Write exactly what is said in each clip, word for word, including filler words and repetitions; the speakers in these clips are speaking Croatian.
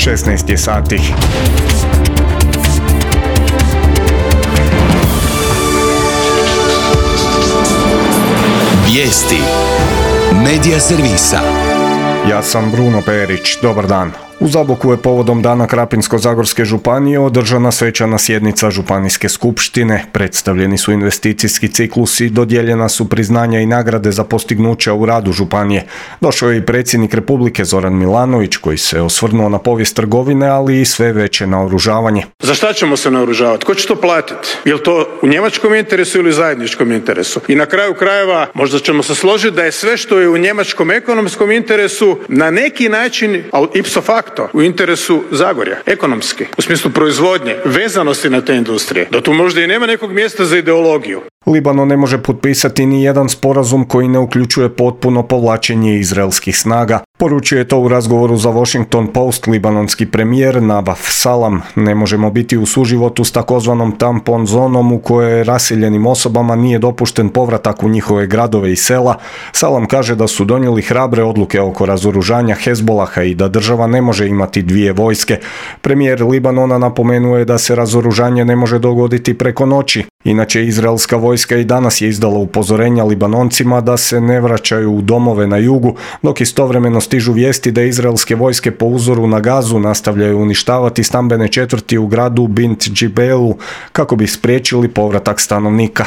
šesnaest je sati. Vijesti Medija servisa. Ja sam Bruno Perić, dobar dan. U Zaboku je povodom Dana Krapinsko-zagorske županije održana svečana sjednica županijske skupštine. Predstavljeni su investicijski ciklusi, dodijeljena su priznanja i nagrade za postignuća u radu županije. Došao je i predsjednik Republike Zoran Milanović koji se osvrnuo na povijest trgovine, ali i sve veće naoružavanje. Za šta ćemo se naoružavati? Ko će to platiti? Je li to u njemačkom interesu ili zajedničkom interesu? I na kraju krajeva možda ćemo se složiti da je sve što je u njemačkom ekonomskom interesu na neki način, ali ipso facto, u interesu Zagorja, ekonomski, u smislu proizvodnje, vezanosti na te industrije, da tu možda i nema nekog mjesta za ideologiju. Libanon ne može potpisati ni jedan sporazum koji ne uključuje potpuno povlačenje izraelskih snaga. Poručio je to u razgovoru za Washington Post libanonski premijer Nabaf Salam. Ne možemo biti u suživotu s takozvanom tampon zonom u kojoj raseljenim osobama nije dopušten povratak u njihove gradove i sela. Salam kaže da su donijeli hrabre odluke oko razoružanja Hezbolaha i da država ne može imati dvije vojske. Premijer Libanona napomenuo je da se razoružanje ne može dogoditi preko noći. Inače, izraelska vojska i danas je izdala upozorenja Libanoncima da se ne vraćaju u domove na jugu, dok istovremeno stižu vijesti da izraelske vojske po uzoru na Gazu nastavljaju uništavati stambene četvrti u gradu Bint Džibelu kako bi spriječili povratak stanovnika.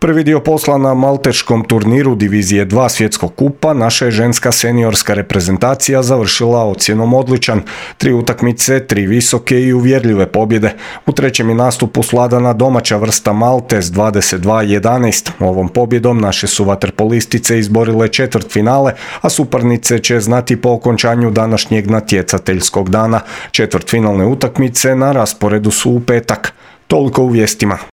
Prvi dio posla na malteškom turniru divizije dva svjetskog kupa naša je ženska seniorska reprezentacija završila ocjenom odličan. Tri utakmice, tri visoke i uvjerljive pobjede. U trećem je nastupu svladana domaća vrsta Malte s dvadeset dva jedanaest. Ovom pobjedom naše su vaterpolistice izborile četvrtfinale, a suparnice će znati po okončanju današnjeg natjecateljskog dana. Četvrtfinalne utakmice na rasporedu su u petak. Toliko u vijestima.